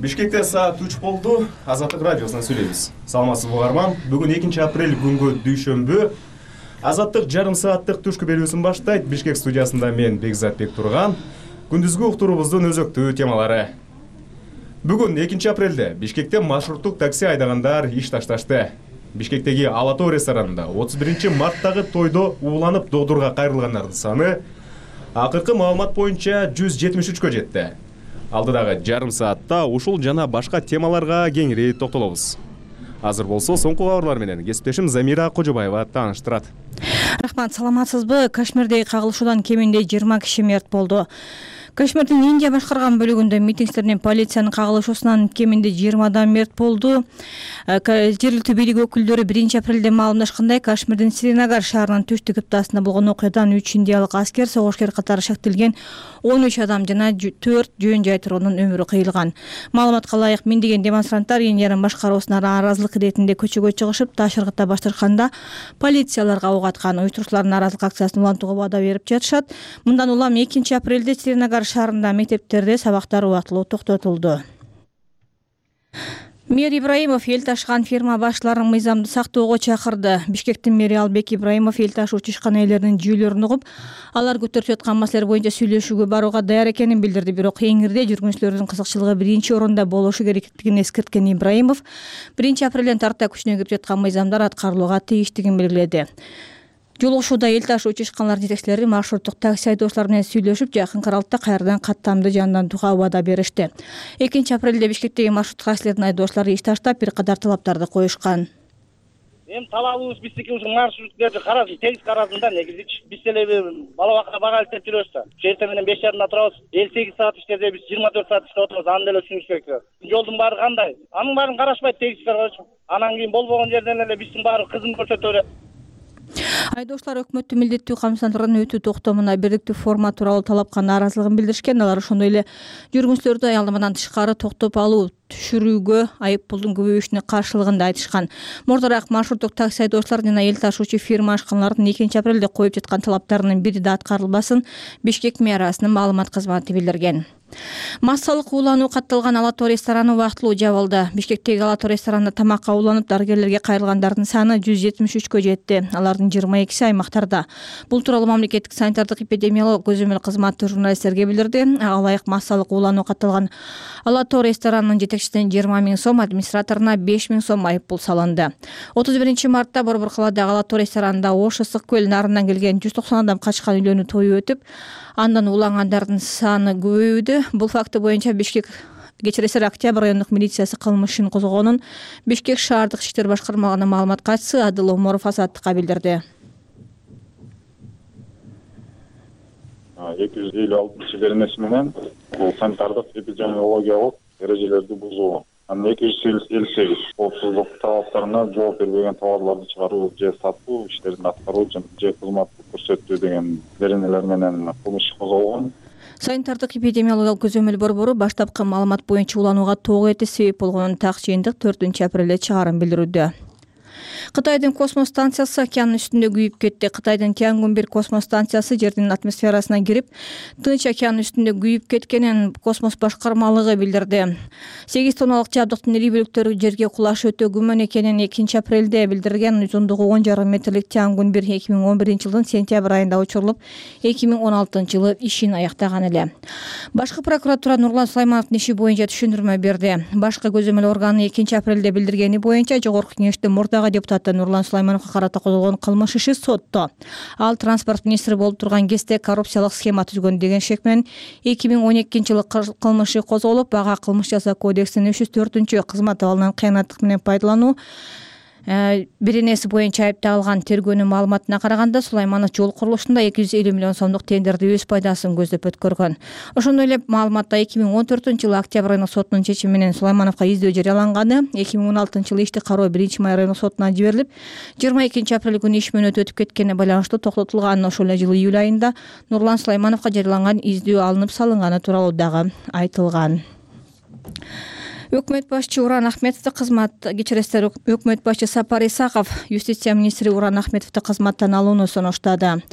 Бишкекте саат 3 болду. Азаттык радиосунан сүйлөйбүз. Саламатсызбы угарман? Бүгүн 2-апрель күнгө дүйшөмбү. Азаттык жарым сааттык түшкү берүүсүн баштайт. Бишкек студиясында мен Бекзат Бектурган. Күндүзгү уктуруубуздун өзөктүү темалары. Бүгүн 2-апрелде Бишкекте маршруттук такси айдагандар иш ташташты. Бишкектеги Ала Тоо ресторанында 31-марттагы тойдо ууланып доодурга кайрылгандардын саны акыркы маалымат боюнча 173кө жетти. Алдыдагы жарым саатта ушул жана башка темаларга кеңири токтолобуз. Азыр болсо соңку кабарлар менен кесиптешим Замира Кожобаева тааныштырат. Рахмат, саламатсызбы? Кашмирдеги кагылышуудан кеминде 20 киши мерт болду. Кашмирдин Индия башкарган бөлүгүндө митингчилер полициянын кагылышуусунан кеминде 20 адам мерт болду. Жергиликтүү бийлик өкүлдөрү 1-апрелде маалымдашкандай, Кашмирдин Сринагар шаарынын түштүк кыптасында болгон окуядан 3 индиялык аскер, согушкер катары шектелген 13 адам жана 4 жөн жай тургундун өмүрү кыйылган. Маалыматка ылайык, миңдеген демонстранттар Индиянын башкаруусуна нааразылык иретинде көчөгө чыгышып, таш ыргыта башташканда полицияларга ок аткан. Уюштуруучулар нааразылык акциясын улантууга ваада берип жатышат. Мындан улам 2-апрелде Сринагар шаарында мектептерде сабактар убактылуу токтотулду. Мэр Ибраимов эл ташыган фирма башчыларын мыйзамды сактоого чакырды. Бишкектин мэри Албек Ибраимов эл ташуучу ишкана ээлеринин жүйөлөрүн угуп, алар көтөрүп жаткан маселелер боюнча сүйлөшүүгө барууга даяр экенин билдирди. Бирок эңирде жүргүнчүлөрдүн кызыкчылыгы биринчи орунда болушу керектигин эскерткен Ибраимов 1-апрелден тарта күчүнө кирип жаткан мыйзамдар аткарылууга тийиштигин белгиледи. Жолугушууда эл ташуучу ишканалардын жетекчилери маршруттук такси айдоочулар менен сүйлөшүп, жакынкы аралыкта кайрадан каттамды жандантууга убада беришти. 2-апрелде Бишкектеги маршруттук таксилердин айдоочулары иш таштап, бир катар талаптарды коюшкан. Эми талабыбыз биздики ушул маршруттерди карадым, тегиз карадым да, негизи биз деле бала бакка бага илтеп жүрөбүз да. Эртең менен 5:30 турабыз, 58 саат иштеде биз 24 саат иштеп отурабыз, аны деле түшүнүш керек да. Жолдун баары кандай? Анын баарын карашпайт, тегиз карашып. Анан кийин болбогон жерден эле биздин баары кызым көрсөтө берет. Айдоочулар өкмөттүн милдеттүү камсыздандырган өтүү токтомуна бирдиктүү формат тууралуу талапка нааразылыгын билдиришкен. Алар ошондой эле жүргүнчүлөрдү аялдамадан тышкары токтоп алуу, түшүрүүгө айып пулдун көбөйүшүнө каршылыгын да айтышкан. Мурдараак маршруттук такси айдоочулар жана эл ташуучу фирма ашканалардын 2-апрелде коюп жаткан талаптарынын бири да аткарылбасын Бишкек мэриясынын маалымат кызматы билдирген. Массалык уулануу катталган Ала Тоо рестораны убактылуу жабылды. Бишкектеги Ала Тоо ресторанында тамакка ууланып дарыгерлерге кайрылгандардын саны 173кө жетти. Алардын 22си аймактарда. Бул тууралуу мамлекеттик санитардык эпидемиологиялык көзөмөл кызматы журналисттерге билдирди. Алайык массалык уулануу катталган Ала Тоо ресторанынын жетекчисине 20 000 сом, администраторуна 5 000 сом айып пул салынды. 31-мартта Борбор калаадагы Ала Тоо ресторанында Ош Ысык көл нарынан келген 190 адам качкан үйлөнүү тою өтүп, андан уулангандардын саны көбөйдү. Бул факты боюнча Бишкек кечиресер Октябрь райондук милициясы кылмыш ишин козгогонун Бишкек шаардык иштер башкармалыгынын маалымат катчысы Адыл Оморов Азаттыкка билдирди. 256 беренеси менен бул санитардык эпидемиологиялык эрежелерди бузуу. Анан 258 коопсуздук талаптарына жооп бербеген товарларды чыгаруу же сатуу иштерин аткаруу же кызмат көрсөтүү деген беренелер менен кылмыш козголгон. Санитардык эпидемиологиялык көзөмөл борбору баштапкы маалымат боюнча уланууга тоого эте себеп болгонун так жыйынтык 4-апрелде чыгарын билдирүүдө. Кытайдын космос станциясы океандын үстүндө күйүп кетти. Кытайдын Тиангун-1 космос станциясы жердин атмосферасына кирип, Тынч океан үстүндө күйүп кеткенин космос башкармалыгы билдирди. 8 тонналык жабдыктын ири бөлүктөрү жерге кулашы өтө күмөн экенин 2-апрелде билдирген. Узундугу 10,5 метрлик Тиангун-1 2011-жылдын сентябрь айында учурулуп, 2016-жылы ишин аяктаган эле. Башкы прокуратура Нурлан Сулаймановдун иши боюнча түшүндүрмө берди. Башкы көзөмөл органы 2-апрелде билдиргени боюнча Жогорку Кеңештин мурдагы депутаты Нурлан Сулаймановго карата козголгон кылмыш иши сотто. Ал транспорт министри болуп турган кезде коррупциялык схема түзгөн деген шек менен 2012-жылы кылмыш иши козголуп, ага кылмыш жасоо кодексинин 304 кызмат абалынан кыянаттык менен пайдалануу беренеси боюнча айыпталган. Тергөөнүн маалыматына караганда, Сулайманов жол курулушунда 250 миллион сомдук тендерди өз пайдасын көздөп өткөргөн. Ошондой эле маалыматта 2014-жылы Октябрь айынын сотунун чечими менен Сулаймановго издөө жарыяланганы, 2016-жылы ишти кароо 1-май райондук сотуна жиберилип, 22-апрель күнү иш мөөнөтү өтүп кеткенине байланыштуу токтотулган. Ошол эле жылы июль айында Нурлан Сулаймановго жарыяланган издөө алынып салынганы тууралуу дагы айтылган. Өкмөт башчы Уран Ахметовду Өкмөт башчы Сапар Исаков юстиция министри Уран Ахметовду кызматтан алууну сунуштады.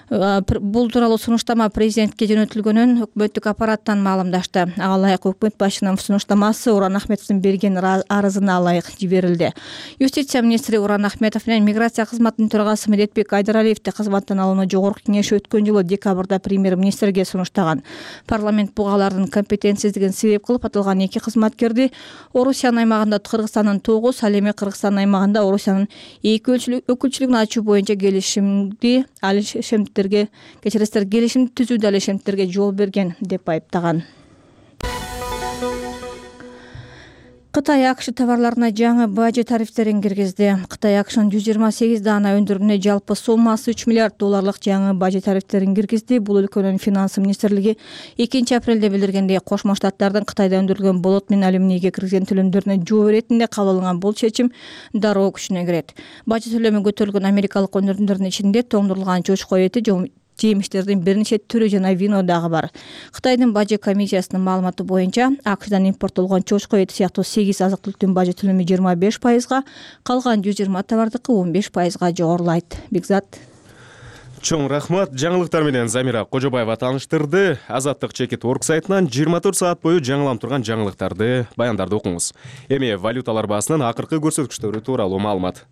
Бул тууралуу сунуштама президентке жөнөтүлгөнүн өкмөттүк аппараттан маалымдашты. Ага ылайык өкмөт башчынын сунуштамасы Уран Ахметовдун берген арызына ылайык жиберилди. Юстиция министри Уран Ахметов менен миграция кызматынын төрагасы Медетбек Айдаралиевди кызматтан алууну жогорку кеңеш өткөн жылы декабрда премьер-министрге сунуштаган. Парламент бугалардын компетенцисиздигин себеп кылып аталган эки кызматкерди Орусиянын аймагында Кыргызстандын 9, ал эми Кыргызстандын аймагында Орусиянын 2 өкүлчүлүгүн ачуу боюнча келишим түзүүдө алишемттерге жол берген деп айыптаган. Кытай АКШ товарларына жаңы бажы тарифтерин киргизди. Кытай АКШнын 128 даана өндүрүүнүнө жалпы суммасы $3 миллиард жаңы бажы тарифтерин киргизди. Бул өлкөнүн финансы министрлиги 2 апрелде билдиргендей, Кошмо Штаттардын Кытайда өндүрүлгөн болот менен алюминийге киргизген төлөмдөрүнө жооп иретинде кабыл алынган бул чечим дароо күчүнө кирет. Бажы төлөмү көтөрүлгөн америкалык өндүрүмдөрдүн ичинде тоңдурулган чочко эти, жемиштердин бир нече түрү жана вино дагы бар. Кытайдын бажы комиссиясынын маалыматы боюнча, АКШдан импорттолгон чочко эти сыяктуу 8 азык-түлүктүн бажы төлөмү 25%, калган 120 товардыкы 15%га жогорулайт. Бекзат. Чоң рахмат. Жаңылыктар менен Замира Кожобаева тааныштырды. Азаттык Чекит.org сайтынан 24 саат бою жаңыланып турган жаңылыктарды, баяндарды окуңуз. Эми валюталар баасынын акыркы көрсөткүчтөрү тууралуу маалымат.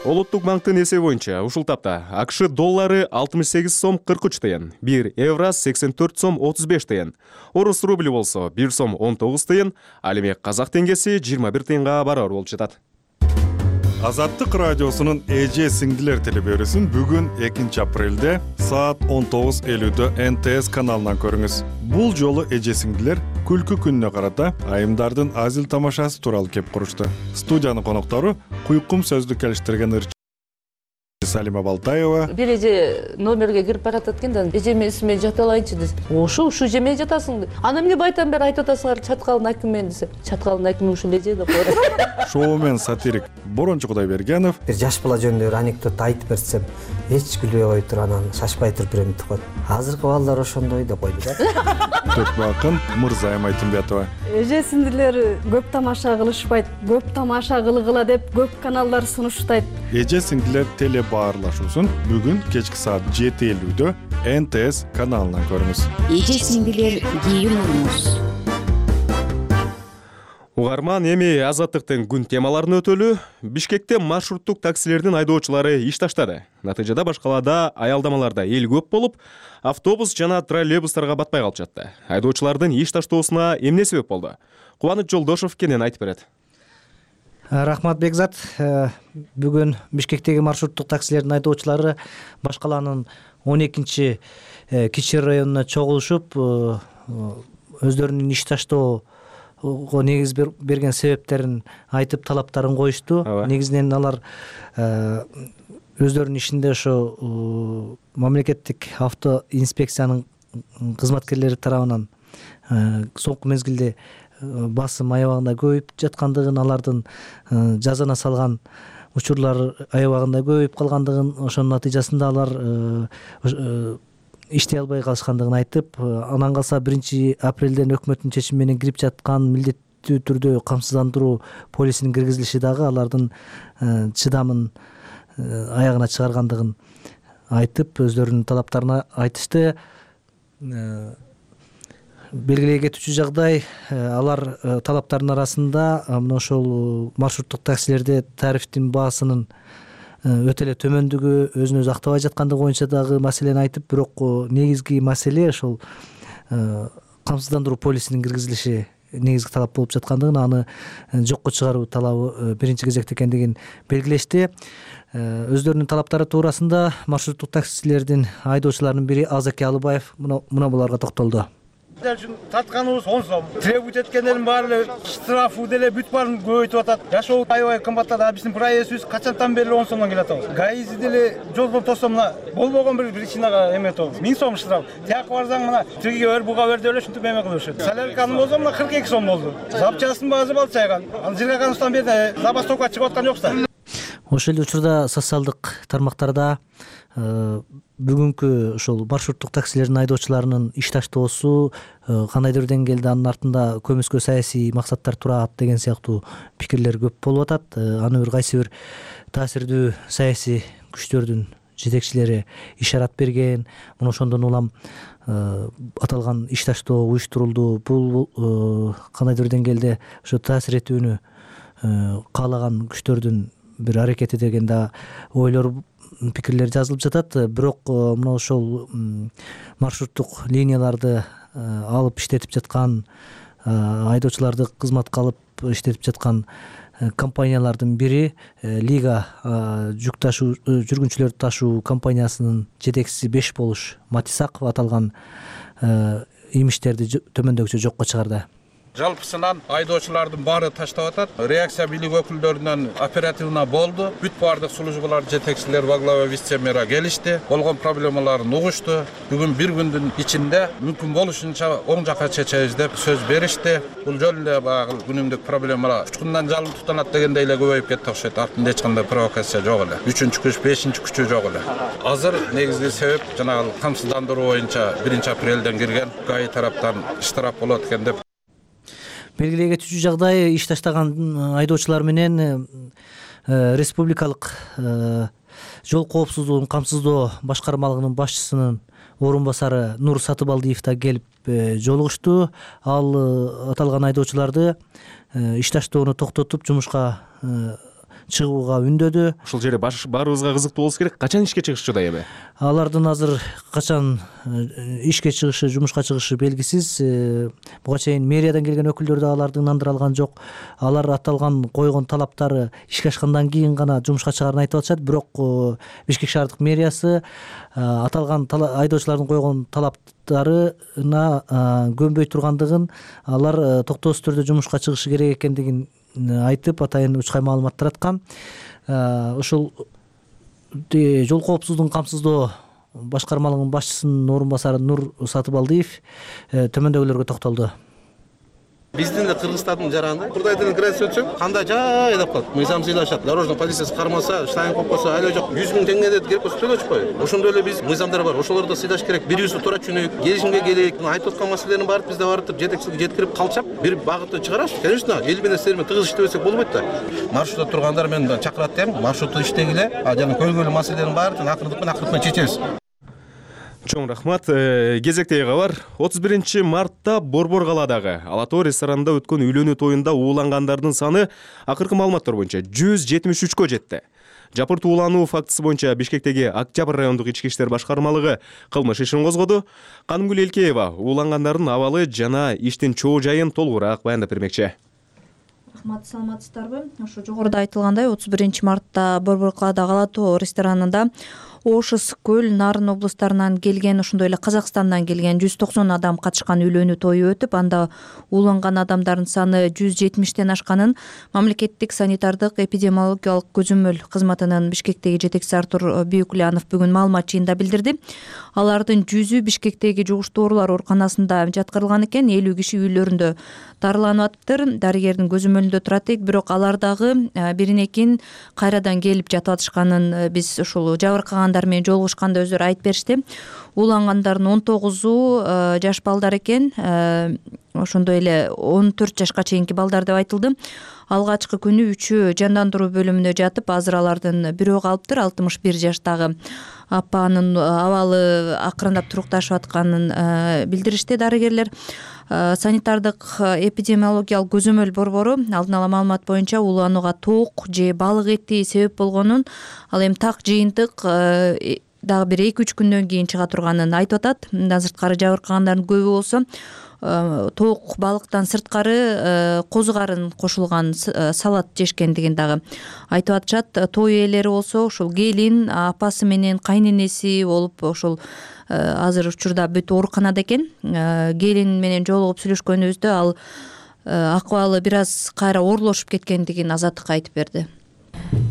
Улуттук банктын эсеби боюнча ушул тапта АКШ доллары 68 сом 43 тыйын, 1 евро 84 сом 35 тыйын, орус рубли болсо 1 сом 19 тыйын, ал эми казак теңгеси 21 тыйынга барабар болуп жатат. Азаттык радиосунун эже сиңдилер телебөрүсүн бүгүн 2 апрелде саат 19:50 НТС каналынан көрүңүз. Бул жолу эже сиңдилер күлкү күнүнө карата айымдардын азил тамашасы тууралуу кеп курушту. Студиянын коноктору куйкум сөздү келиштирген Салима Балтаева. Бир эже номерге кирип баратат экен да, эжеме исиме жата алайынчы десе. Ошо ушу жемей жатасың. Ана эмне байтан бери айтып атасыңар, чаткалдын акимен десе. Чаткалдын акими ушул эже деп коет. Шоумен сатирик Борончу Кудайбергенов. Бир жаш бала жөнүндө бир анекдот айтып берсем, эч күлбөй кой туруп, анан шашпай туруп берем деп коет. Азыркы балдар ошондой деп койду да. Төкбакын Мырзайым Айтымбетова. Эже сиңдилер көп тамаша кылышпайт, көп тамаша кылгыла деп көп каналдар сунуштайт. Эже сиңдилер теле баарлашуусун бүгүн кечки саат 7:50 НТС каналынан көрүңүз. Эже сиңдилер кийимиңиз. Угарман, эми азаттыктын күн темаларын өтөлү. Бишкекте маршруттук таксилердин айдоочулары иш таштады. Натыйжада баш калаада аялдамаларда эл көп болуп, автобус жана троллейбустарга батпай калып жатты. Айдоочулардын иш таштоосуна эмне себеп болду? Кубаныч Жолдошов кенен айтып берет. Рахмат Бекзат. Бүгүн Бишкектеги маршруттук таксилердин айдоочулары баш калаанын 12 кичи районуна чогулушуп, өздөрүнүн иш таштоого негиз берген себептерин айтып, талаптарын коюшту. Негизинен алар өздөрүнүн ишинде ошо мамлекеттик авто инспекциянын кызматкерлери тарабынан соңку мезгилде басым аябагында көбөйүп жаткандыгын, алардын жазана салган учурлар аябагында көбөйүп калгандыгын, ошонун натыйжасында алар иштей албай калышкандыгын айтып, анан калса 1 апрелден өкмөттүн чечими менен кирип жаткан милдеттүү түрдө камсыздандыруу полисинин киргизилиши дагы алардын чыдамын аягына чыгаргандыгын айтып, өздөрүнүн талаптарына айтышты. Белгилей кетүүчү жагдай, алар талаптарынын арасында мына ошол маршруттук таксилерде тарифтин баасынын өтө эле төмөндүгү, өзүн өзү актабай жаткандыгы боюнча дагы маселени айтып, бирок негизги маселе ошол камсыздандыруу полисинин киргизилиши негизги талап болуп жаткандыгын, аны жокко чыгаруу талабы биринчи кезекте экендигин белгилешти. Өздөрүнүн талаптары туурасында маршруттук таксилердин айдоочуларынын бири Азаки Алыбаев мына буларга токтолду. Татканыбыз 10 сом. Требует эткендердин баары штрафы деле бүт баарын көбөйтүп атат. Жашоо аябай кымбаттады. Биздин проездибиз качантан бери 10 сомдон келип атабыз. ГАИзи деле жолдон тосо мына болбогон бир причинага эме атабыз. 1000 сом штраф. Тияк барсаң мына тиги бер буга бер деп эле ушинтип эме кылып жүрүшөт. Солярканын болсо мына 42 сом болду. Запчастын баасы балчайган. Ал жыргаганыбыздан бери забастовка чыгып аткан жок да. Ошол эле учурда социалдык тармактарда бүгүнкү ошол маршруттук таксилердин айдоочуларынын иш таштоосу кандайдыр деңгээлде анын артында көмүскө саясий максаттар турат деген сыяктуу пикирлер көп болуп атат. Аны кайсы бир таасирдүү саясий күчтөрдүн жетекчилери ишарат берген. Мына ошондон улам аталган иш таштоо уюштурулду. Бул кандайдыр деңгээлде ошо таасир этүүнү каалаган күчтөрдүн бир аракети деген да ойлор, пикирлер жазылып жатат. Бирок мына ошол маршруттук линияларды алып иштетип жаткан, айдоочуларды кызматка алып иштетип жаткан компаниялардын бири Лига жүк ташуу жүргүнчүлөрдү ташуу компаниясынын жетекчиси Бешболуш Матисаков аталган имиштерди төмөндөгүчө жокко чыгарды. Жалпысынан айдоочулардын баары таштап атат. Реакция бийлик өкүлдөрүнөн оперативно болду. Бүт баардык службалар жетекчилер во главе вице-мэра келишти. Болгон проблемаларын угушту. Бүгүн бир күндүн ичинде мүмкүн болушунча оң жакка чечебиз деп сөз беришти. Бул жөн эле баягы күнүмдүк проблемалар учкундан жалын тутанат дегендей эле көбөйүп кетти окшойт. Артында эч кандай провокация жок эле. 3-күч, 5-күчү жок эле. Азыр негизги себеп жанагы камсыздандыруу боюнча 1-апрелден кирген ГАИ тараптан штраф болот экен деп. Белгилей кетүүчү жагдай, иш таштаган айдоочулар менен республикалык жол коопсуздугун камсыздоо башкармалыгынын башчысынын орун басары Нур Сатыбалдиев да келип жолугушту. Ал аталган айдоочуларды иш таштоону токтотуп жумушка чыгууга үндөдү. Ушул жерде баарыбызга кызыктуу болуш керек. Качан ишке чыгышчу эми? Алардын азыр качан ишке чыгышы, жумушка чыгышы белгисиз. Буга чейин мэриядан келген өкүлдөр да аларды ынандыра алган жок. Алар аталган койгон талаптары ишке ашкандан кийин гана жумушка чыгарын айтып атышат. Бирок Бишкек шаардык мэриясы аталган айдоочулардын койгон талаптарына көнбөй тургандыгын, алар токтоосуз түрдө жумушка чыгышы керек экендигин айтып, атайын учкай маалымат тараткан. Ошол жол коопсуздугун камсыздоо башкармалыгынын башчысынын орун басары Нур Сатыбалдиев төмөндөгүлөргө токтолду. Биздин да Кыргызстандын жаранында курдайдан граница өтсөң, кандай жай деп калат. Мыйзам сыйлашат. Дорожный полициясы кармаса, штайн коюп койсо, айла жок 100 000 теңге деп керек болсо төлөчү кой. Ошондой эле биз мыйзамдар бар. Ошолорду сыйлаш керек. Бирибизди туура түшүнөйүк, келишимге келейик. Айтып аткан маселелердин баары бизде барып жетекчиликке жеткирип калчап, бир багытты чыгарабыз. Конечно, эл менен силер менен тыгыз иштебесек болбойт да. Маршрутта тургандар мен чакырат дейм. Маршрутта иштегиле, жана көйгөйлүү маселелердин баарын акырындык менен чечебиз. Чоң рахмат. Кезектеги кабар. 31 мартта Борбор калаадагы Ала Тоо ресторанында өткөн үйлөнүү тоюнда уулангандардын саны акыркы маалыматтар боюнча 173кө жетти. Жапырт уулануу фактысы боюнча Бишкектеги Октябрь райондук ички иштер башкармалыгы кылмыш ишин козгоду. Канымгүл Элкеева уулангандардын абалы жана иштин чоо жайын толугураак баяндап бермекчи. Рахмат, саламатсыздарбы? Ошо жогоруда айтылгандай 31 мартта Борбор калаадагы Ала Тоо ресторанында Ошус, Көл, Нарын облустарынан келген, ошондой эле Казакстандан келген 190 адам катышкан үйлөнүү тою өтүп, анда ууланган адамдардын саны 170тен ашканын мамлекеттик санитардык эпидемиологиялык көзөмөл кызматынын Бишкектеги жетекчиси Артур Бүйүклянов бүгүн маалымат жыйында билдирди. Алардын 100-ü Бишкектеги жугуштуу оорулар ооруканасында жаткырылган экен, 50 киши үйлөрүндө дарыланып атыптыр. Дарыгердин көзөмөлүндө турат дейт, бирок алардагы биринекин кайрадан келип жатып атышканын биз ушул жабыркагандар менен жолугушканда өздөрү айтып беришти. Уулангандардын 19-у жаш балдар экен, ошондой эле 14 жашка чейинки балдар деп айтылды. Алгачкы күнү 3-ü жандандыруу бөлүмүндө жатып, азыр алардын бирөө калыптыр. 61 жаштагы апанын абалы акырындап турукташып атканын билдиришти дарыгерлер. Санитардык эпидемиологиялык көзөмөл борбору алдын ала маалымат боюнча ууланууга тоок же балык эти себеп болгонун, ал эми так жыйынтык дагы бир 2-3 күндөн кийин чыга турганын айтып атат. Мындан сырткары жабыркагандардын көбү болсо тоок балыктан сырткары козу карын кошулган салат жешкендигин дагы айтып атышат. Той ээлери болсо ушул келин, апасы менен кайненеси болуп ошол азыр учурда бүт ооруканада экен. Келин менен жолугуп сүйлөшкөнүбүздө ал акыбалы бир аз кайра оорлошуп кеткендигин Азаттыкка айтып берди.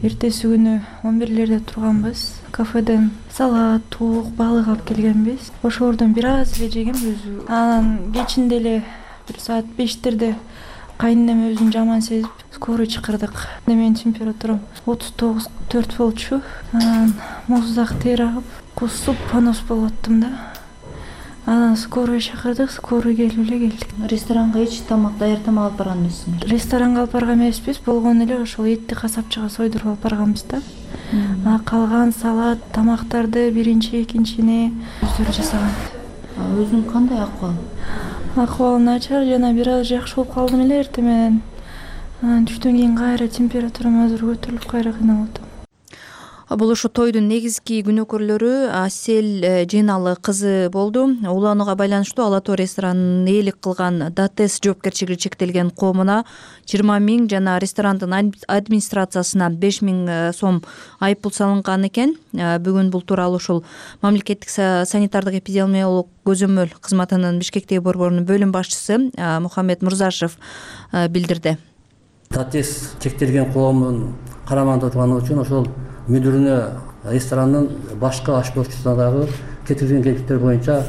Эртеси күнү 11-лерде турганбыз. Кафеден салат, тоок, балык алып келгенбиз. Ошолордон бир аз эле жегем өзү. Анан кечинде эле бир саат 5-терде кайненем өзүн жаман сезип скорый чакырдык. Менин температурам 39,4 болчу. Анан муздак тер агып, кусуп понос болуп аттым да. Анан скорый чакырдык, скорый келип эле келдик. Ресторанга эч тамак, даяр тамак алып барган эмессиңер? Ресторанга алып барган эмеспиз, болгон эле ошол этти касапчыга сойдуруп алып барганбыз да. Калган салат, тамактарды биринчи, экинчини өздөрү жасаган. Өзүнүн кандай акыбалы? Акыбалы начар, жана бир аз жакшы болуп калдым эле эртең менен. Түштөн кийин кайра температурам азыр көтөрүлүп кайра кыйналып атам. Бул ушу тойдун негизги күнөөкөрлөрү Асель Жыйналы кызы болду. Уланууга байланыштуу Ала Тоо ресторанын ээлик кылган ДАТЭС жоопкерчилиги чектелген коомуна 20 000 жана ресторандын администрациясына 5 000 сом айыппул салынган экен. Бүгүн бул тууралуу ушул мамлекеттик санитардык эпидемиологиялык көзөмөл кызматынын Бишкектеги борборунун бөлүм башчысы Мухаммед Мурзашев билдирди. ДАТЭС чектелген коомдун карамагында турганы үчүн ошол мүдүрүнө ресторанын башкы ашпоочусуна дагы кетирилген кемчиликтер боюнча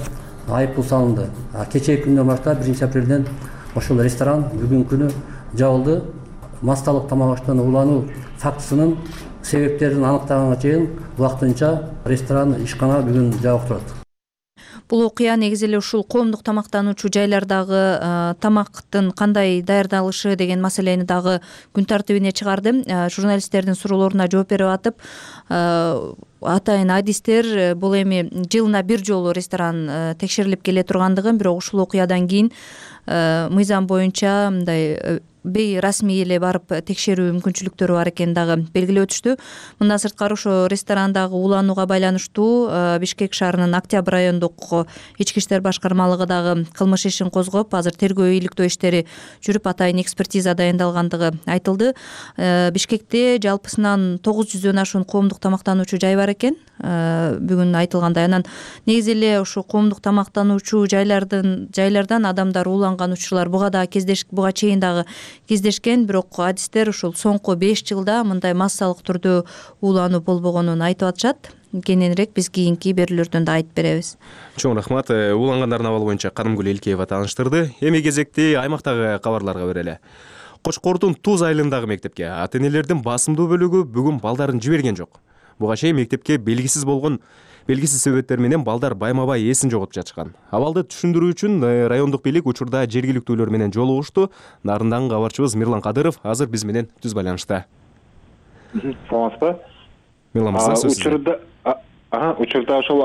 айыппул салынды. Кечээки күндөн баштап 1 апрелден ошол ресторан бүгүнкү күнү жабылды. Масталык тамак аштан улануу фактысынын себептерин аныктаганга чейин убактынча ресторан ишкана бүгүн жабык турат. Бул окуя негизи эле ушул коомдук тамактануучу жайлардагы тамактын кандай даярдалышы деген маселени дагы күн тартибине чыгарды. Журналисттердин суроолоруна жооп берип атып, атайын адистер бул эми жылына бир жолу ресторан текшерилип келе тургандыгын, бирок ушул окуядан кийин мыйзам боюнча мындай бейрасмий эле барып текшерүү мүмкүнчүлүктөрү бар экенин дагы белгилеп өтүштү. Мындан сырткары ошо ресторандагы уланууга байланыштуу Бишкек шаарынын Октябрь райондук ички иштер башкармалыгы дагы кылмыш ишин козгоп, азыр тергөө ийгиликтөө иштери жүрүп, атайын экспертиза дайындалгандыгы айтылды. Бишкекте жалпысынан 900дөн ашуун коомдук тамактануучу жай бар экен. Бүгүн айтылгандай, анан негизи эле ушу коомдук тамактануучу жайлардан адамдар ууланган учурлар буга чейин дагы кездешкен, бирок адистер ушул соңку 5 жылда мындай массалык түрдө уулануу болбогонун айтып атышат. Кененирээк биз кийинки берүүлөрдөн да айтып беребиз. Чоң рахмат. Уулангандардын абалы боюнча Карымгүл Элкеева тааныштырды. Эми кезекти аймактагы кабарларга берели. Кочкордун Туз айылындагы мектепке ата-энелердин басымдуу бөлүгү бүгүн балдарын жиберген жок. Буга чейин мектепке белгисиз себептер менен балдар байма-бай эсин жоготуп жатышкан. Абалды түшүндүрүү үчүн райондук бийлик учурда жергиликтүүлөр менен жолугушту. Нарындан кабарчыбыз Мирлан Кадыров азыр биз менен түз байланышта. Саламатсызбы? Мирлан мырза, сөз сизде. Учурда ошол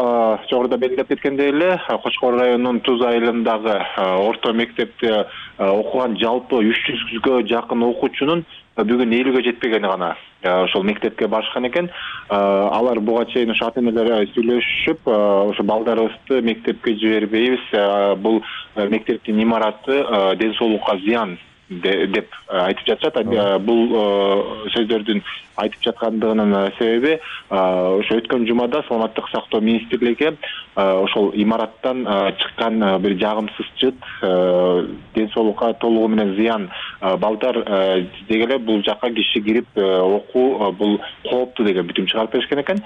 жогоруда белгилеп кеткендей эле Кочкор районунун Туз айылындагы орто мектепте окуган жалпы 300гө жакын окуучунун бүгүн 50гө жетпегени гана ошол мектепке барышкан экен. Алар буга чейин ошо ата-энелер сүйлөшүп, ошо балдарыбызды мектепке жибербейбиз, бул мектептин имараты ден соолукка зыян деп айтып жатышат. Бул сөздөрдүн айтып жаткандыгынын себеби ошо өткөн жумада Саламаттык сактоо министрлиги ошол имараттан чыккан бир жагымсыз жыт ден соолукка толугу менен зыян, балдар дегеле бул жакка киши кирип окуу бул кооптуу деген бүтүм чыгарып беришкен экен.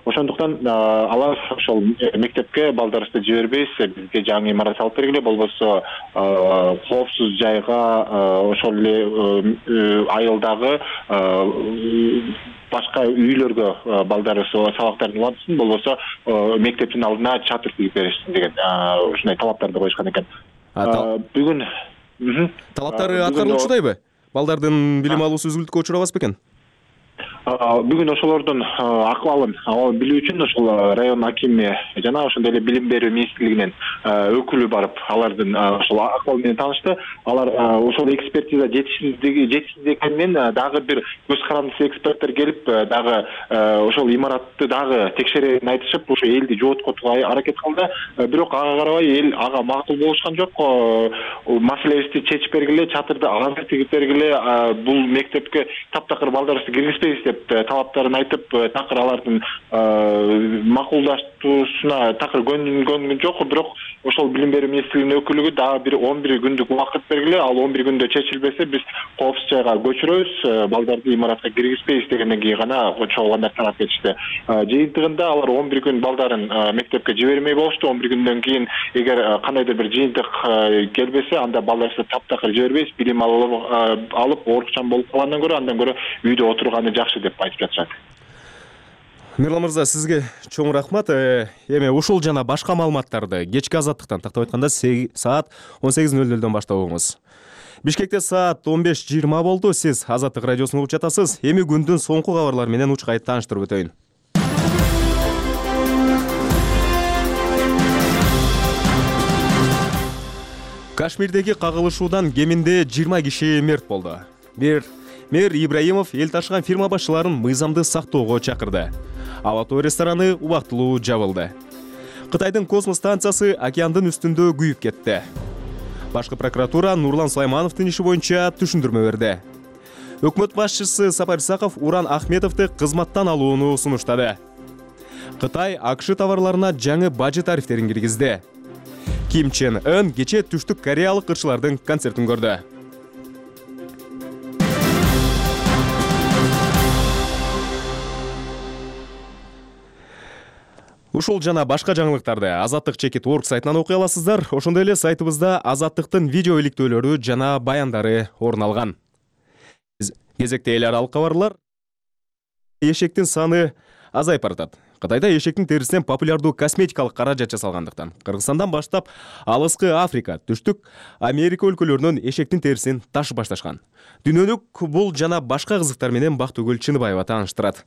Ошондуктан алар ошол мектепке балдарыбызды жибербейбиз, бизге жаңы имарат салып бергиле, болбосо коопсуз жайга ошол эле айылдагы башка үйлөргө балдарыбыз сабактарын улантсын, болбосо мектептин алдына чатыр тигип беришsin деген ушундай талаптарды коюшкан экен. Бүгүн талаптары аткарылчудайбы? Балдардын билим алуусу үзгүлтүккө учурабас бекен? Бүгүн ошолордун акыбалын билүү үчүн ошол район акими жана ошондой эле билим берүү министрлигинин өкүлү барып алардын ошол акыбалы менен таанышты. Алар ошол экспертиза жетишсиз экенин, дагы бир көз карандысы эксперттер келип дагы ошол имаратты дагы текшерерин айтышып, ошо элди жооткотууга аракет кылды. Бирок ага карабай эл ага макул болушкан жок. Маселебизди чечип бергиле, чатырды ага тигип бергиле, бул мектепке таптакыр балдарыбызды киргизбейбиз деп деп талаптарын айтып, такыр алардын макулдаштуусуна такыр көнгөн жок. Бирок ошол билим берүү министрлигинин өкүлүгү дагы бир 11 күндүк убакыт бергиле, ал 11 күндө чечилбесе биз коопсуз жайга көчүрөбүз, балдарды имаратка киргизбейбиз дегенден кийин гана чогулгандар тарап кетишти. Жыйынтыгында алар 11 күн балдарын мектепке жибермей болушту. 11 күндөн кийин эгер кандайдыр бир жыйынтык келбесе, анда балдарыбызды таптакыр жибербейбиз, билим алып оорукчан болуп калгандан көрө андан көрө үйдө отурганы жакшы деп айтып жатышат. Мирлан мырза, сизге чоң рахмат. Эми ушул жана башка маалыматтарды кечки Азаттыктан тактап айтканда саат 18:00 баштап угуңуз. Бишкекте саат 15:20 болду. Сиз Азаттык радиосун угуп жатасыз. Эми күндүн соңку кабарлары менен учкай тааныштырып өтөйүн. Кашмирдеги кагылышуудан кеминде 20 киши мерт болду. Мэр Ибраимов эл ташыган фирма башчыларын мыйзамды сактоого чакырды. Ава-тоо рестораны убактылуу жабылды. Кытайдын космос станциясы океандын үстүндө күйүп кетти. Башкы прокуратура Нурлан Сулаймановдун иши боюнча түшүндүрмө берди. Өкмөт башчысы Сапар Исаков Уран Ахметовду кызматтан алууну сунуштады. Кытай АКШ товарларына жаңы бажы тарифтерин киргизди. Ким Чен Ын кече түштүк кореялык ырчылардын концертин көрдү. Ушул жана башка жаңылыктарды Азаттык.org сайтынан окуй аласыздар. Ошондой эле сайтыбызда Азаттыктын видео иликтөөлөрү жана баяндары орун алган. Кезекте эл аралык кабарлар. Эшектин саны азайып баратат. Кытайда эшектин терисинен популярдуу косметикалык каражат жасалгандыктан Кыргызстандан баштап Алыскы Африка, Түштүк Америка өлкөлөрүнөн эшектин терисин ташып башташкан. Дүйнөлүк бул жана башка кызыктар менен Бактыгүл Чыныбаева тааныштырат.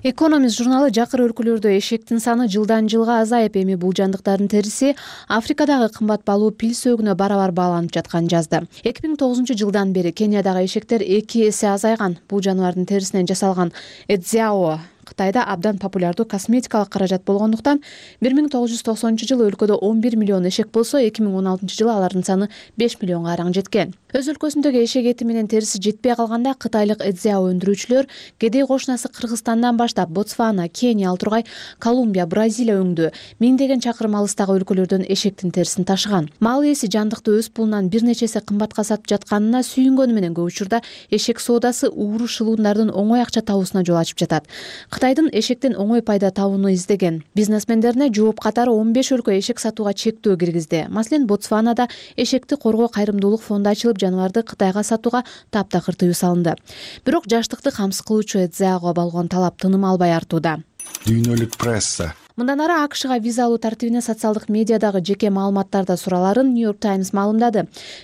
Экономист журналы жакыр өлкөлөрдө эшектин саны жылдан жылга азайып, эми бул жандыктардын териси Африкадагы кымбат баалуу пил сөөгүнө барабар бааланып жатканын жазды. 2009-жылдан бери Кениядагы эшектер 2 эсе азайган. Бул жаныбардын терисинен жасалган эдзяо Кытайда абдан популярдуу косметикалык каражат болгондуктан 1990-жылы өлкөдө 11 миллион эшек болсо, 2016-жылы алардын саны 5 миллионго араң жеткен. Өз өлкөсүндөгү эшек эти менен териси жетпей калганда кытайлык эдзяо өндүрүүчүлөр кедей кошунасы Кыргызстандан баштап Ботсвана, Кения, ал тургай Колумбия, Бразилия өңдүү миңдеген чакырым алыстагы өлкөлөрдөн эшектин терисин ташыган. Мал ээси жандыкты өз пулунан бир нече эсе кымбатка сатып жатканына сүйүнгөнү менен көп учурда эшек соодасы ууру шылуундардын оңой акча табуусуна жол ачып жатат. Кытайдын эшектен оңой пайда табууну издеген бизнесмендерине жооп катары 15 өлкө эшек сатууга чектөө киргизди. Маселен, Ботсванада эшекти коргоо кайрымдуулук фонду ачылып, жаныбарды Кытайга сатууга таптакыр тыюу салынды. Бирок жаштыкты камсыз кылуучу эдзяого болгон талап тыным албай артууда. Дүйнөлүк пресса. Мындан ары АКШга виза алуу тартибине социалдык медиадагы жеке маалыматтарда сураларын New-York Times маалымдады.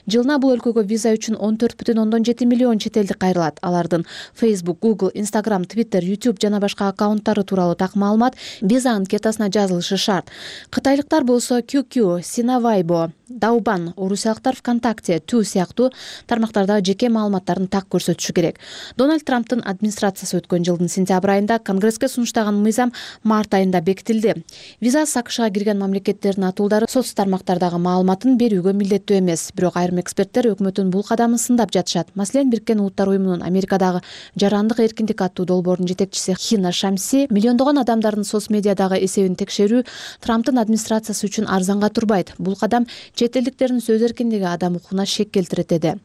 Жылына бул өлкөгө виза үчүн 14,7 миллион чет элдик кайрылат. Алардын Facebook, Google, Instagram, Twitter, YouTube жана башка аккаунттары тууралуу так маалымат виза анкетасына жазылышы шарт. Кытайлыктар болсо QQ, Sinavibo, Douban, орусиялыктар ВКонтакте, Tu сыяктуу тармактардагы жеке маалыматтарын так көрсөтүшү керек. Дональд Трамптын администрациясы өткөн жылдын сентябрь айында Конгресске сунуштаган мыйзам март айында бекитилди. Виза АКШга кирген мамлекеттердин атуулдары соц тармактардагы маалыматын берүүгө милдеттүү эмес. Бирок айрым эксперттер өкмөттүн бул кадамын сындап жатышат. Маселен, Бириккен Улуттар уюмунун Америкадагы жарандык эркиндик аттуу долбоордун жетекчиси Хина Шамси миллиондогон адамдардын соц медиадагы эсебин текшерүү Трамптын администрациясы үчүн арзанга турбайт. Бул кадам чет элдиктердин сөз эркиндиги, адам укугуна шек келтирет деди.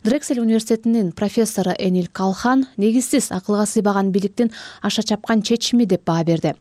Дрексель университетинин профессору Энил Калхан негизсиз акылга сыйбаган бийликтин аша чапкан чечими деп баа берди.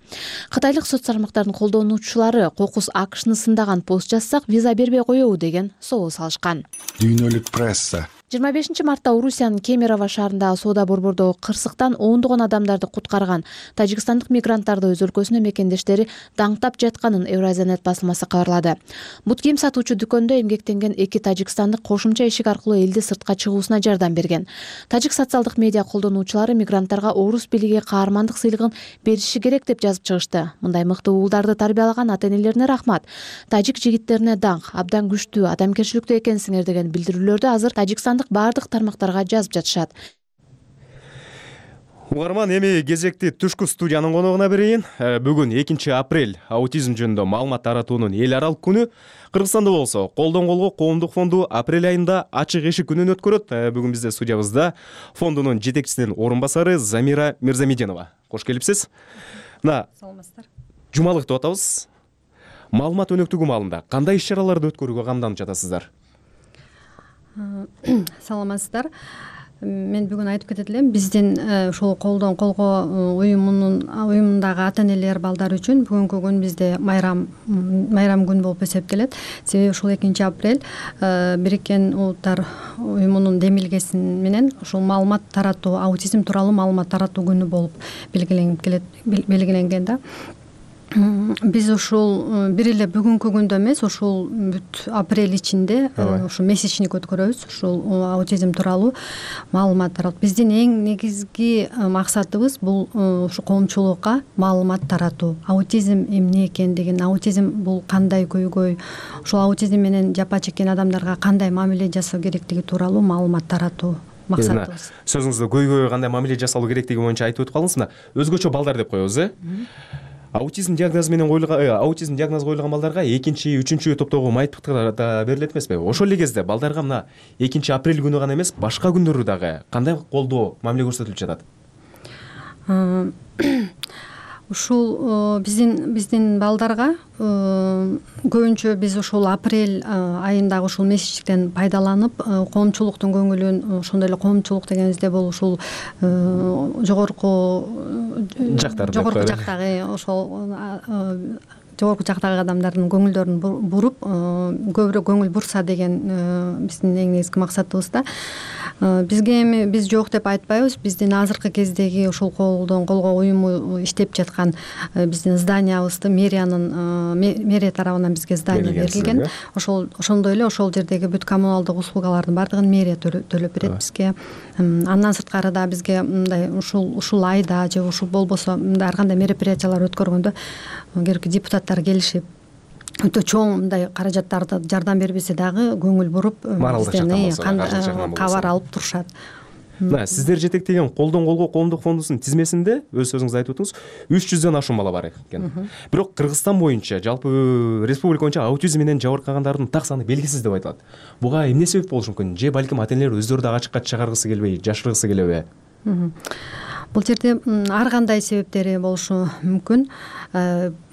Кытайлык соц тармактардын колдонуучулары кокус АКШны сындаган пост жазсак виза бербей коебу деген соол салышкан. Дүйнөлүк пресса. 25 мартта Орусиянын Кемерово шаарындагы соода борбордогу кырсыктан оондогон адамдарды куткарган тажикстандык мигранттарды өз өлкөсүнө мекендештери даңктап жатканын Евразиянет басылмасы кабарлады. Бут кийим сатуучу дүкөндө эмгектенген 2 тажикстандык кошумча эшик аркылуу элди сыртка чыгуусуна жардам берген. Тажик социалдык медиа колдонуучулары мигранттарга орус бийлиги каармандык сыйлыгын бериши керек деп жазып чыгышты. Мындай мыкты уулдарды тарбиялаган ата-энелерине рахмат. Тажик жигиттерине даңк, абдан күчтүү, адамгерчиликтүү экенсиңер деген билдирүүлөрдү азыр Тажикстан бардык тармактарга жазып жатышат. Угарман, эми кезекти түшкү студиянын коногуна берейин. Бүгүн 2 апрель аутизм жөнүндө маалымат таратуунун эл аралык күнү. Кыргызстанда болсо колдон колго коомдук фонду апрель айында ачык эшик күнүн өткөрөт. Бүгүн бизде студиябызда фондунун жетекчисинин орун басары Замира Мирзамединова. Кош келипсиз. Мына саламатсыздар. Жумалык деп атабыз. Маалымат өнөктүгү маалында кандай иш-чараларды өткөрүүгө камданып жатасыздар? Саламатсыздар. Мен бүгүн айтып кетет элем, биздин ушул колдон колго уюмундагы ата-энелер балдар үчүн бүгүнкү күн бизде майрам күн болуп эсептелет. Себеби ушул 2 апрель Бириккен Улуттар уюмунун демилгеси менен ушул маалымат таратуу, аутизм тууралуу маалымат таратуу күнү болуп белгиленген да. Биз ушул бир эле бүгүнкү күндө эмес, ушул бүт апрель ичинде ушул месячник өткөрөбүз, ушул аутизм тууралуу маалымат таратуу. Биздин эң негизги максатыбыз бул ушу коомчулукка маалымат таратуу. Аутизм эмне экендигин, аутизм бул кандай көйгөй, ушул аутизм менен жапа чеккен адамдарга кандай мамиле жасоо керектиги тууралуу маалымат таратуу максатыбыз. Сөзүңүздө көйгөйгө кандай мамиле жасалуу керектиги боюнча айтып өтүп калдыңыз. Мына өзгөчө балдар деп коебуз, Аутизм диагнозу менен аутизм диагнозу коюлган балдарга 2, 3 топтогу майыптыктар да берилет эмеспи? Ошол эле кезде балдарга мына 2 апрель күнү гана эмес, башка күндөрү дагы кандай колдоо, мамиле көрсөтүлүп жатат? Ушул биздин балдарга көбүнчө биз ушул апрель айындагы ушул месячтен пайдаланып, коомчулуктун көңүлүн, ошондой эле коомчулук дегенибизде бул ушул жогорку жактагы ошол жогорку жактагы адамдардын көңүлдөрүн буруп, көбүрөөк көңүл бурса деген биздин эң негизги максатыбыз да. Бизге эми биз жок деп айтпайбыз. Биздин азыркы кездеги ушул колдон колго уюму иштеп жаткан биздин зданиябызды мэрия тарабынан бизге здание берилген. Ошондой эле ошол жердеги бүт коммуналдык услугалардын баардыгын мэрия төлөп берет бизге. Андан сырткары да бизге мындай ушул айда же ушул болбосо мындай ар кандай мероприятиялар өткөргөндө керекти депутаттар келишип, өтө чоң мындай каражаттарды жардам бербесе дагы көңүл буруп, бизден кабар алып турушат. Мына сиздер жетектеген колдон колго коомдук фондусунун тизмесинде өз сөзүңүздө айтып өттүңүз, 300дөн ашуун бала бар экен. Бирок Кыргызстан боюнча, жалпы республика боюнча аутизм менен жабыркагандардын так саны белгисиз деп айтылат. Буга эмне себеп болушу мүмкүн? Же балким ата-энелер өздөрү дагы ачыкка чыгаргысы келбей, жашыргысы келеби? Бул жерде ар кандай себептери болушу мүмкүн.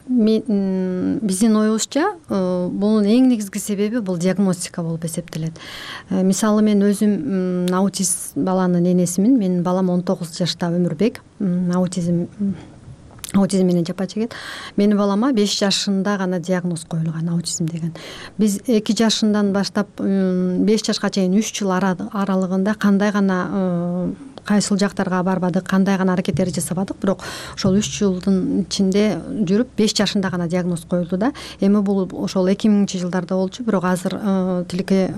Биздин оюбузча бунун эң негизги себеби бул диагностика болуп эсептелет. Мисалы мен өзүм аутист баланын энесимин. Менин балам 19 жашта Өмүрбек, аутизм менен жапа чегет. Менин балама 5 жашында гана диагноз коюлган, аутизм деген. Биз 2 жашынан баштап 5 жашка чейин 3 жыл аралыгында кандай гана кайсыл жактарга барбадык, кандай гана аракеттерди жасабадык, бирок ошол 3 жылдын ичинде жүрүп 5 жашында гана диагноз коюлду да. Эми бул ошол 2000-жылдарда болчу, бирок азыр тилекке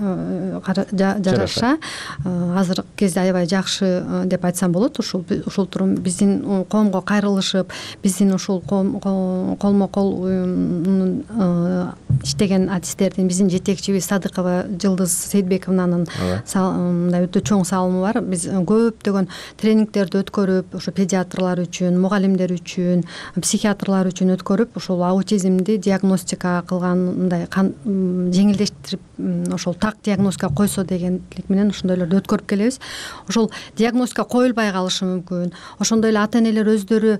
жараша азыркы кезде аябай жакшы деп айтсам болот. Ушул турум биздин коомго кайрылышып, биздин ушул колмо-кол иштеген артисттердин, биздин жетекчибиз Садыкова Жылдыз Сейдбековнанын мындай өтө чоң салымы бар. Биз көптөгөн тренингтерди өткөрүп, ошо педиатрлар үчүн, мугалимдер үчүн, психиатрлар үчүн өткөрүп, ошол аутизмди диагностика кылган, мындай жеңилдештирип, ошол так диагностика койсо дегендик менен ошондойлорду өткөрүп келебиз. Ошол диагностика коюлбай калышы мүмкүн. Ошондой эле ата-энелер өздөрү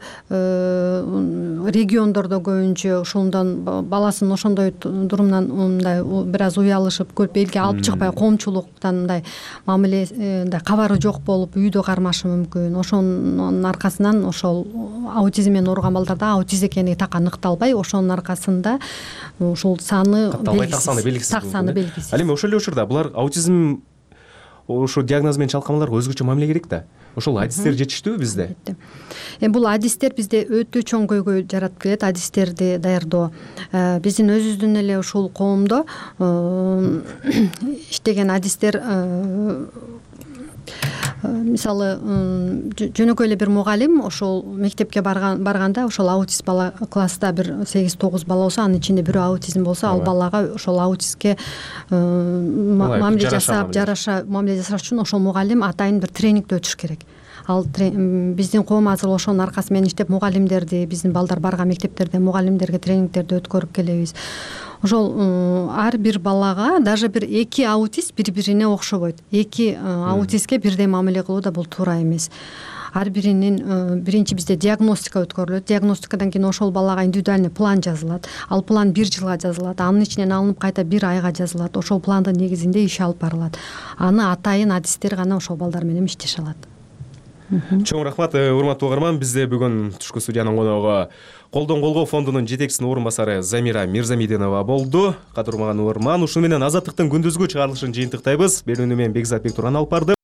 региондордо көбүнчө ошондон баласын ошондой дурумдан мындай бир аз уялышып, көрүп элге алып чыкпай, коомчулуктан мындай мамиле кабары жок болуп үйдө кармашы мүмкүн. Ошонун аркасынан ошол аутизм менен ооруган балдарда аутист экени так аныкталбай, ошонун аркасында ушул саны белгисиз. Так саны белгисиз. Ал эми ошол эле учурда булар аутизм ошо диагноз менен чалканбаларга өзгөчө мамиле керек да. Ошол адистер жетиштүүбү бизде? Бул адистер бизде өтө чоң көйгөй жаратып келет, адистерди даярдоо. Биздин өзүбүздүн эле ушул коомдо иштеген адистер мисалы жөнөкөй эле бир мугалим ошол мектепке барганда ошол аутист бала класста бир 8-9 бала болсо, анын ичинде бирөө аутизм болсо, ал балага ошол аутистке мамиле жасап, жараша мамиле жасаш үчүн ошол мугалим атайын бир тренингди өтүш керек. ал биздин коом азыр ошонун аркасы менен иштеп мугалимдерди, биздин балдар барган мектептерде мугалимдерге тренингтерди өткөрүп келебиз. Ошол ар бир балага даже бир 2 аутист бири-бирине окшобойт. 2 аутистке бирдей мамиле кылуу да бул туура эмес. Ар биринин биринчи бизде диагностика өткөрүлөт. Диагностикадан кийин ошол балага индивидуальный план жазылат. Ал план 1 жылга жазылат. Анын ичинен алынып кайта 1 айга жазылат. Ошол пландын негизинде иш алып барылат. Аны атайын адистер гана ошол балдар менен иштеше алат. Чоң рахмат, урматтуу угарман. Бизде бүгүн түшкү студиянын коногу Колдон колго фондунун жетекчисинин орун басары Замира Мирзамиденова болду. Кадырман угарман, ушуну менен Азаттыктын күндүзгү чыгарылышын жыйынтыктайбыз. Берүүнү мен Бекзат Бектурган алып барды.